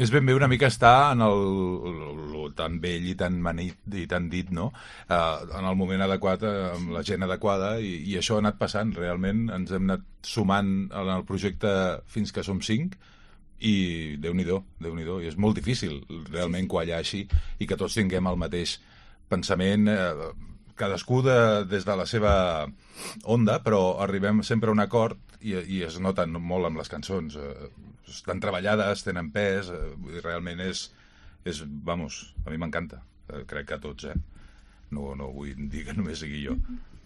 És ben bé una mica estar en el tan vell i tan manit i tan dit, no? En el moment adequat, amb la gent adequada, i això ha anat passant. Realment ens hem anat sumant en el projecte fins que som 5, i Déu-n'hi-do, i és molt difícil realment quallar així i que tots tinguem el mateix pensament, cadascú des de la seva onda, però arribem sempre a un acord i es noten molt amb les cançons. Estan treballades, tenen pes, i realment és vamos, a mi m'encanta. Crec que a tots, No vull dir que només sigui jo.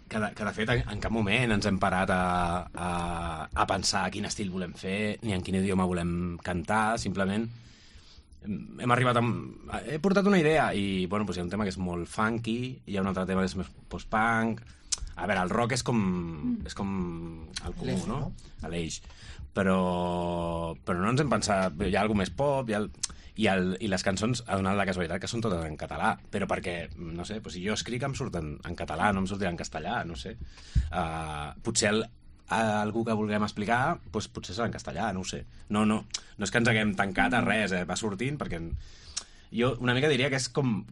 Que de fet en cap moment ens hem parat a pensar quin estil volem fer ni en quin idioma volem cantar, simplement hem arribat he portat una idea i bueno, doncs hi ha un tema que és molt funky, hi ha un altre tema que és més post-punk. A veure, el rock és com el comú, no? L'eix. Però no ens hem pensat, hi ha alguna més pop, i les cançons ha donat la casualitat que són totes en català, però perquè, no sé, si jo escric em surten en català, no em sortirà en castellà, no sé. Potser algú que vulguem explicar potser serà en castellà, no ho sé. No és que ens haguem tancat a res, va sortint, perquè jo una mica diria que és com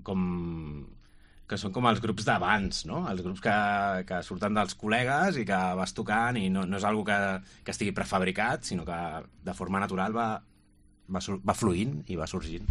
que són com els grups d'abans, no? Els grups que surten dels col·legues i que vas tocant i no és algo que estigui prefabricat, sinó que de forma natural va fluint i va sorgint.